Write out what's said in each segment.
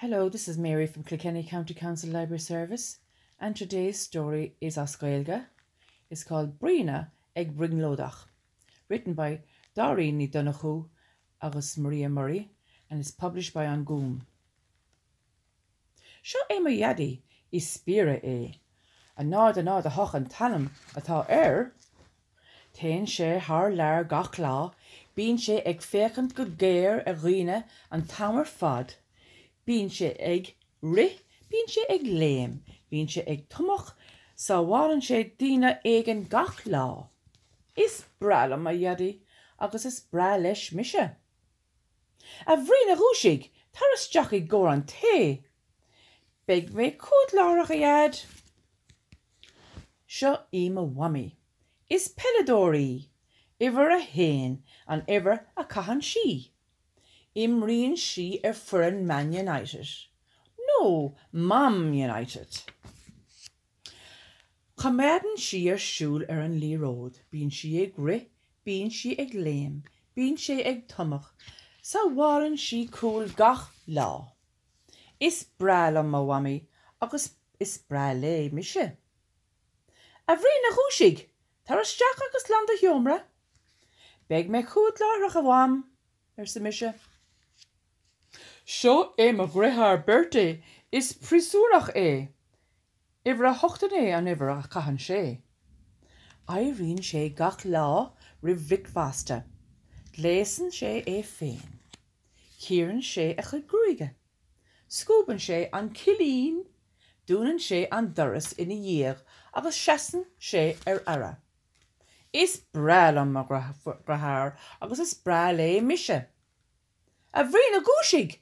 Hello, this is Mary from Kilkenny County Council Library Service and today's story is as Gaeilge. It's called Bríona ag Brionglóideach, written by Dáirín Ní Dhonnchú agus Maria Murray and is published by An Gúm. Seo é mo Dhaidí, is spiaire é. A 0 a 0 8 an t-ainm atá air. Téann sé thar lear gach lá, bíonn sé ag féachaint go géar ar dhaoine an t-am ar fad, bíonn sé ag rith, bíonn sé ag léim, bíonn sé ag tumadh, sábhálann sé daoine éigin gach lá. Is breá liom mo Dhaidí agus is breá leis mise. A Bhriain, dhúisigh! Tar isteach i gcomhair an tae! Beidh mé chugat láithreach, a Dhaid! Seo í mo Mhamaí. Is peileadóir í. Uimhir a haon an uimhir a chaitheann sí. Imríonn sí ar foireann Man United. No, Mam United. Coimeádann sí ar siúl ar an liathróid, bíonn sí ag rith, bíonn sí ag léim, bíonn sé ag tumadh, sábhálann sí cúl gach lá. Is breá liom mo mhamaí agus is breá léi mise. A Bhriain, dhúisigh! Tar isteach agus glan do sheomra. Beidh mé chugat láithreach, a Mham, arsa mise. Seo é mo dheartháir Bertie, is príosúnach é. Uimhir a 8 9 an uimhir a chaitheann sé. Éiríonn sé gach lá roimh bhricfeasta. Gléasann sé é féin. Cíorann sé a chuid gruaige. Scuabann sé an cillín. Dúnann sé an doras ina dhiaidh agus seasann sé ar aire. Is breá liom mo dheartháir agus is breá léi mise. A Bhriain, dhúisigh!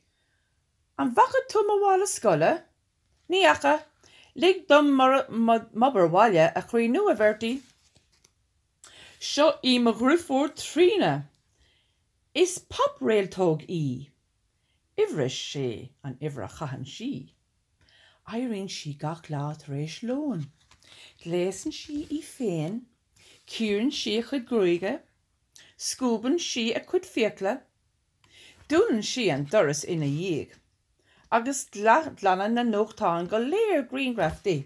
An bhfaca tú mo mhála scoile? Ní fhaca. Lig dom m'obair bhaile a chríochnú, a Bhertie. Seo í mo dheirfiúr Tríona. Is pop-réaltóg í. Uimhir a sé an uimhir a chaitheann sí. Éiríonn sí gach lá tar éis lóin. Gléasann sí í féin, cíorann sí a cuid gruaige, scuabann sí a cuid fiacla, dúnann sí an doras ina dhiaidh. Agus glanann na nuachtáin go léir grianghraif di.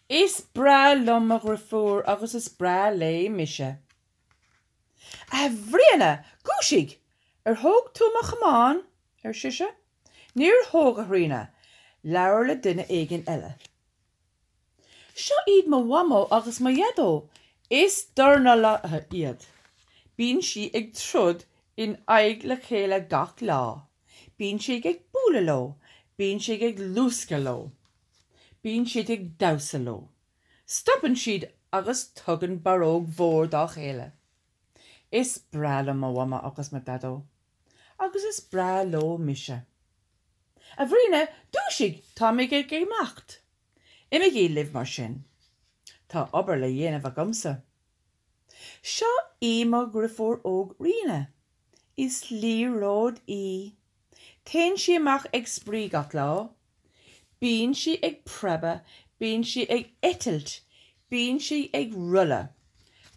Is breá liom mo dheirfiúr agus is breá léi mise. A Bhriain, dhúisigh! Ar thóg tú mo chamán? ar sise. Níor thóg, a Thríona. Labhair le duine éigin eile. Seo iad mo mhamó agus mo dhaideo. Is dornálaithe iad. Bíonn siad ag troid in aghaidh le chéile gach lá. Bíonn siad ag bualadh leo. Bíonn siad ag luascadh leo. Bíonn siad ag damhsa leo. Stopann siad agus tugann barróg mhór dá chéile. Is breá liom mo mhamó agus mo dhaideo. Agus is breá leo mise. A Bhriain, dúisigh! Táimid ag imeacht! Imígí libh mar sin. Tá obair le dhéanamh agamsa. Seo í mo dheirfiúr óg Ríona. Is liathróid í. Téann sí amach ag spraoi gach lá. Bíonn sí ag preabadh, bíonn sí ag eitilt, bíonn sí ag rolladh.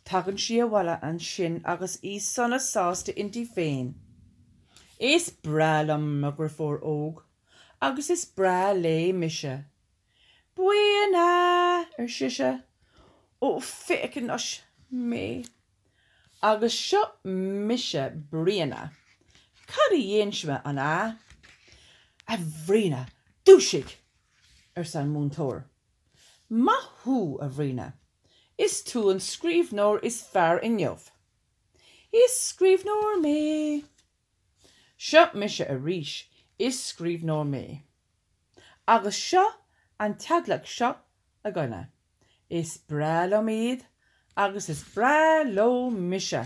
Tagann sí abhaile ansin agus í sona sásta inti féin. Is breá liom mo dheirfiúr óg agus is breá léi mise. Bríona! ar sise. Ó, féach anois mé. Agus seo mise Bríona. Cad a dhéanfaidh mé, an ea? A Bhriain, dúisigh! arsa an múinteoir. Maith thú, a Bhriain. Is tú an scríbhneoir is fearr inniu. Is scríbhneoir mé. Seo mise arís, is scríbhneoir mé. Agus seo an teaghlach seo againne. Is breá liom iad agus is breá leo mise.